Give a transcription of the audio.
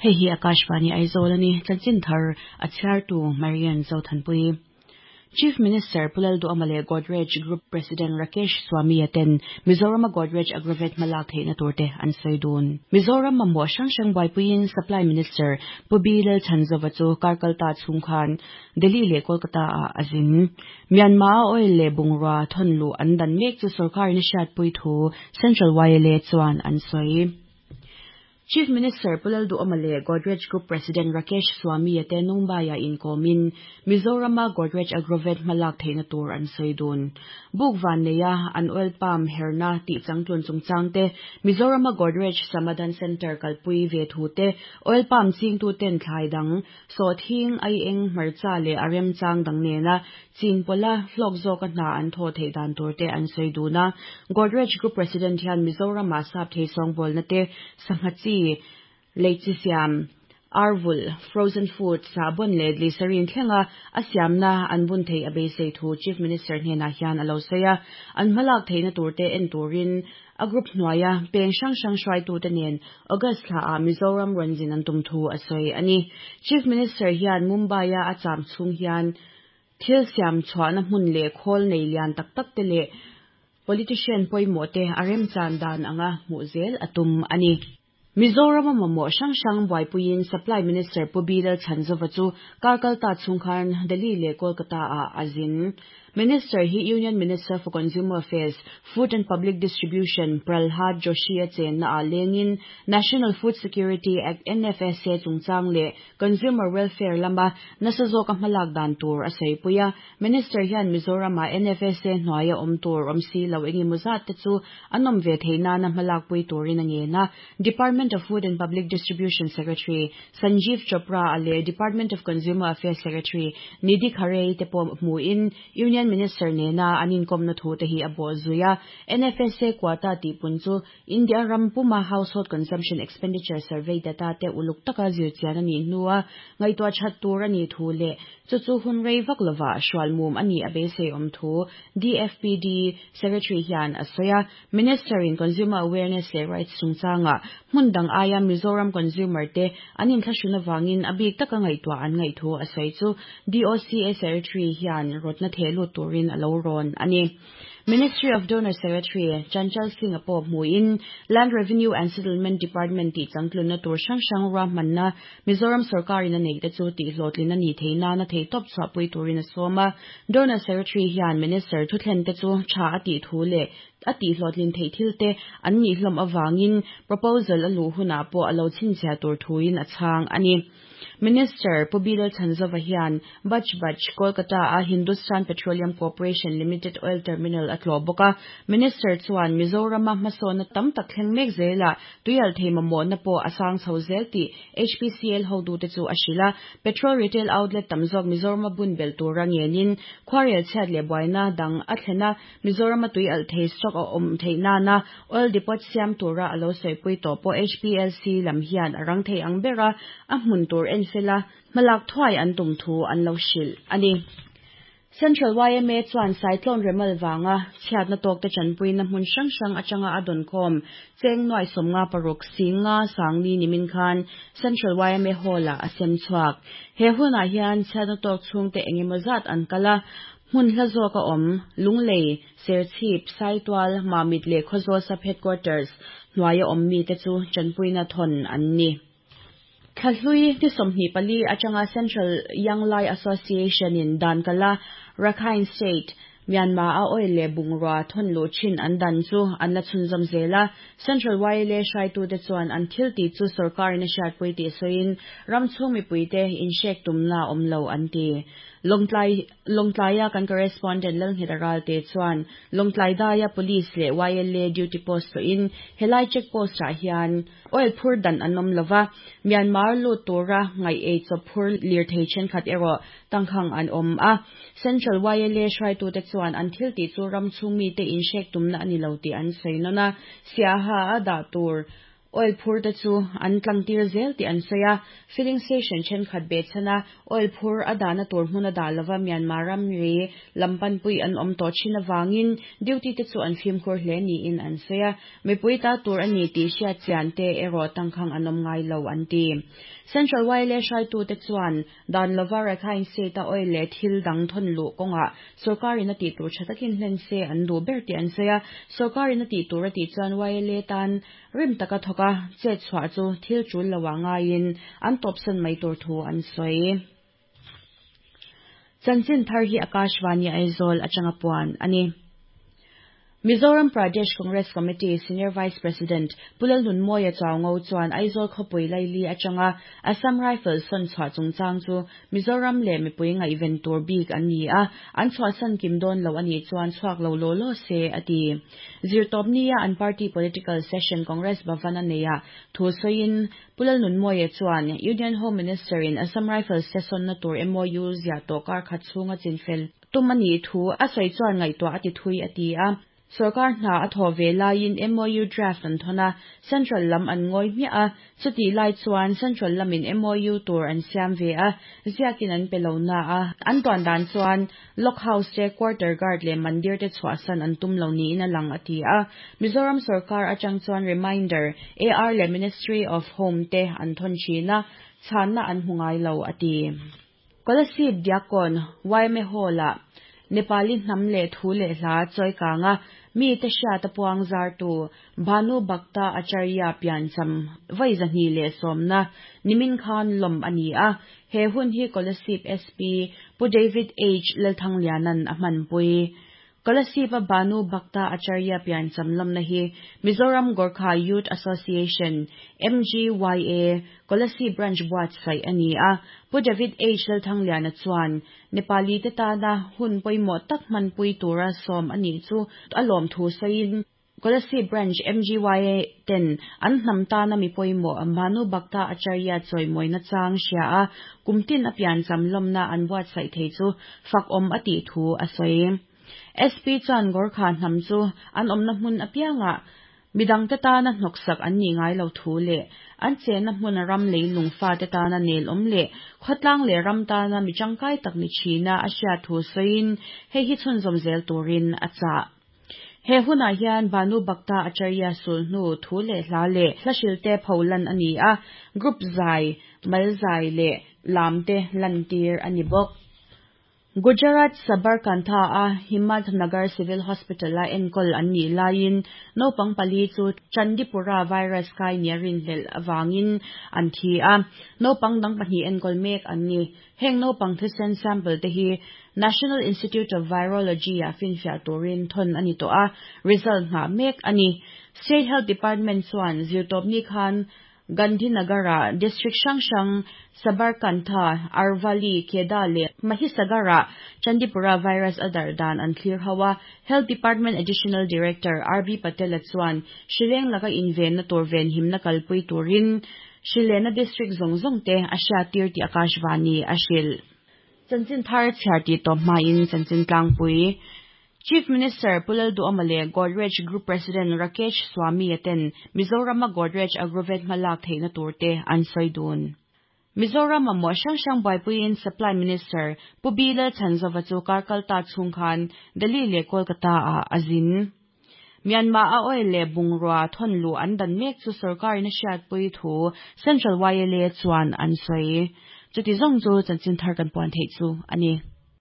Hei hi Akashvani Aizawl a ni, chanchin thar a chhiartu Marian Zothanpui. Chief Minister Pu Lalduhama leh Godrej Group President Rakesh Swami-a ten Mizorama Godrej Agrovet hmalak theihna turte an sawi dun. Mizoram mamawh hrang hrang buaipuiin Supply Minister Pu B Lalchhanzova chu kar kalta chhung khan Delhi leh Kolkata-ah a zin. Myanmar-a oil leh bungrua thawn luh an dan mek chu sorkarin a hriatpui thu Central YLA chuan an sawi. Chief Minister Pu Lalduhawma leh Godrej Group President Rakesh Swami-a te Mumbai-ah inkawmin Mizorama Godrej Agrovet hmalak theihna tur an sawi dun. Buk van neia an oil palm herna tih changtlun chungchang te, Mizorama Godrej Samadhan Centre kalpui ve thu te, oil palm chingtuten thlai dang, sawhthing, aieng, hmarcha leh a remchang dang nena chin pawla hlawk zawka hna an thawh theih dan tur te an sawi dun a. Godrej Group President hian Mizorama sap thei sawngbawlna te, sangha chi, lei chi siam, arvulh, frozen food, sahbawn leh glycerine thlenga a siamna an bun theih a beisei thu Chief Minister hnenah hian a lo sawi a. An hmalak theihna tur te en turin A group hnuaia peng hrang hrang hruaitute nen August thlaah Mizoram rawn zin an tum thu a sawi a ni. Chief Minister hian Mumbai-a a cham chhung hian thil siam chhuahna hmun leh khawl nei lian tak tak te leh politician pawimawh te a remchan dan anga hmuh zel a tum a ni. Mizorama mamawh hrang hrang buaipuiin Supply Minister Pu B Lalchhanzova chu kar kalta chhung khan Delhi leh Kolkata-ah a zin. Minister hi Union Minister for Consumer Affairs, Food and Public Distribution Pralhad Joshi-a chenna-ah lengin National Food Security Act, NFSA, chungchang leh Consumer Welfare lama nasa zawka hmalak dan tur a sawipui a. Minister hian Mizoram-ah NFSA hnuaia awm tur awm si lo engemaw zat te chu an awm ve theih nana hmalakpui turin a ngen a. Department of Food and Public Distribution Secretary Sanjeev Chopra-a leh Department of Consumer Affairs Secretary Nidhi Khare te pawh hmuhin Union Minister nena an inkawmna thu te hi a bawh zui a. NFSA quota tihpun chu India ram puma Household Consumption Expenditure Survey data te uluk taka zirchian a nih hnua ngaihtuah that tur a nih thu leh chu chu hun rei vak lovah hrualmum a nih a beisei awm thu DFPD Secretary hian a sawi a. Minister in Consumer Awareness leh Rights chungchangah hmun dang aia Mizoram consumer te an inthlahrun avangin a bik taka ngaihtuah an ngaih thu a sawi chu DOCA Secretary hian rawtna theh lut turin a lo rawn a ni. Ministry of Donor Secretary Chanchal Singh-a pawh hmuhin Land Revenue and Settlement Department tih changtlunna tur hrang hrang ruahmanna Mizoram sorkarin a neihte chu tihhlawhtlin a nih theih nana theihtawp chhuahpui turin a sawm a. Donor Secretary hian Minister thuthlente chu tha a tih thu leh a tihhlawhtlin theih thilte an nih hlawm avangin proposal a luh hunah pawh a lo chhinchhiah tur thuin a chhang a ni. Minister Pu Bilal Chhanzova hian Baj Baj, Kolkata-a Hindustan Petroleum Corporation Limited Oil Terminal a tlawh bawk a. Minister chuan Mizorama hmasawnna tam tak thleng mek zelah tuialthei mamawhna pawh a sang chho zel tih HPCL hotute chu a hrilh a. Petrol retail outlet tam zawk Mizorama bun belh tura ngenin khuarel chhiat leh buaina dang a thlen a. Mizorama tuialthei stock a awm theih nana oil depot siam tura a lo sawipui tawh pawh HPLC lam hian a rang thei ang ber a, a hmun tur en fela hmalak thuai an tum thu an lo hrilh a ni. Central yma chuan Cyclone Remal vanga chhiatna tawkte tanpuina hmun hrang hrang atanga a dawnkhawm cheng nuai 56 singa sangli nimin khan Central yma Hall-ah a sem chhuak. He hunah hian chhiatna tawk chhungte engemaw zat an kal a, Hmun hla zawk a awm, Lunglei, Serchhip, Saitual, Mamit leh Khawzawl Sub Headquarters hnuaia awm mite chu tanpuina thawn an ni. Thlahlui ni 24 atanga Central Young Lai Association in dan kala Rakhine State, Myanmar a oil leh bungrua thawn luh thin an dan chu an la chhunzawm zel a. Central YLA hraitute chuan an thil tih chu sorkarin a hriatpui tih sawiin ram chhung mipuite inhrek tumna a awm lo an ti. Lawngtlai Lawngtlaia kan correspondent Lalngheta Ralte chuan Lawngtlai daia Police leh YLA duty post tlawhin helai check post ah hian oil phur dan an awm lova, Myanmar lut tura ngaih ei chawp phur lirthei thenkhat erawh tangkhang an awm a. Central YLA hruaitute chuan an thil tih chu ram chhung mite inhrek tumna a ni lo tih an sawi nawn a, Siaha a dah tur. Oil phur te chu an tlang tir zel tih an sawi a, filling station thenkhat behchhan a oil phur a dahna tur hmun a dah lova Myanmar ramri lam panpui an awm tawh thin avangin duty te chu an fimkhur hle niin an sawi a, mipui ta tur a ni tih hriat chian te erawh tangkhang an awm ngai lo an ti. Central YLA hruaitute chuan dan lova Rakhine State a oil leh thil dang thawn luh kawngah Sorkarin a tih tur tha takin hlen se an duh ber tih an sawi a, sorkarin a tih tur a tih chuan YLA tan rim taka thawk a, chet chhuah chu thil tul lo ah ngaiin an tawpsan mai tur thu an sawi. Chanchin thar hi Akashvani Aizawl atanga puan a ni. Mizoram Pradesh Congress Committee Senior Vice President Pu Lalnunmawia Chuaungo chuan Aizawl khawpui laili atanga Assam Rifles sawn chhuah chungchang chu Mizoram leh mipui ngaihven tur bik an ni a, an chhuahsan kim dawn lo a nih chuan chhuak lo law law se, a ti. Zirtawp nia an party political session Congress Bhavan a neihah thu sawiin Pu Lalnunmawia chuan Union Home Minister in Assam Rifles te sawnna tur MOU ziah tawh kar khat chhunga chinfel Tum a nih thu a sawi chuan ngaihtuah a ti thui a ti a. Sorkar hna a thawh ve laiin MOU draft an thawn a, Central lam an ngawi hmiah a, chutih lai chuan Central lamin MOU tur an siam ve a, ziakin an pe lo na a, an tuan dan chuan Lock House te, Quarter Guard leh Mandir te chhuahsan an tum lo niin a lang a ti a. Mizoram sorkar atang chuan reminder AR leh Ministry of Home te an thawn thin a, chhanna an hmu ngai lo a ti. Kolasib Diakkawn yma Hall-ah Nepali hnam leh thu leh hla chawikanga mite hriata puang zartu Bhanu Bhakta Acharya piancham vawi 210na nimin khan lawm a ni a, he hun hi Kolasib SP Pu David H Lalthangliana'n a hmanpui. Kolasib-a Bhanu Bhakta Acharya piancham lawmna hi Mizoram Gorkha Youth Association, MGYA, Kolasib Branch buatsaih a ni a. Pu David H. Lalthangliana chuan Nepali te tana hun pawimawh tak hmanpui tura sawm a nih chu a lawm thu sawiin, Kolasib Branch MGYA ten an hnam tana mi pawimawh Bhanu Bhakta Acharya chawimawina chang hria a, kum tin a piancham lawmna an buatsaih thei chu fakawm a tih thu a sawi. SP chuan Gorkha hnam chu an awmna hmun apiangah midangte tana hnawksak an nih ngai lo thu leh an chenna hmun ram leilung fate tana nelawm leh khawtlang leh ram tana mi tangkai tak ni thina a hriat thu sawiin hei hi chhunzawm zel turin a chah. He hunah hian Bhanu Bhakta Acharya sulhnu thu leh hla leh hla hrilte pho lan a ni a, group zai, mal zai leh lam te lantir a ni bawk. Gujarat Sabarkantha-a Himmatnagar Civil Hospital-a enkawl an nih laiin naupang pali chu Chandipura virus kai nia rinhlelh avangin an thi a, naupang dang pahnih enkawl mek an ni. Heng naupang thisen sample te hi National Institute of Virology-ah finfiah turin thawn a ni tawh a, result nghah mek a ni. State Health Department chuan zirtawpni khan Gandhinagar-ah district hrang hrang Sabarkantha, Arvalli, Kheda leh Mahisagar-ah Chandipura virus a darh dan an thlir ho a. Health Department Additional Director RB Patel-a chuan hrileng laka invenna tur venhimna kalpui turin Hrilena District zawng zawng te a hriattir tih Akashvani a hrilh. Chanchin thar chhiar tih tawp hmain chanchin tlangpui Chief Minister Pu Lalduhawma leh Godrej Group President Rakesh Swami-a ten Mizorama Godrej Agrovet hmalak theihna tur te an sawi dun. Mizoram mamawh hrang hrang buaipuiin Supply Minister Pu B Lalchhanzova chu kar kalta chhung khan Delhi leh Kolkata-ah a zin. Myanmar a oil leh bungrua thawn luh an dan mek chu sorkarin a hriatpui thu Central YLA chuan an sawi. Chuti zawng chu chanchin thar kan puan theih chu a ni.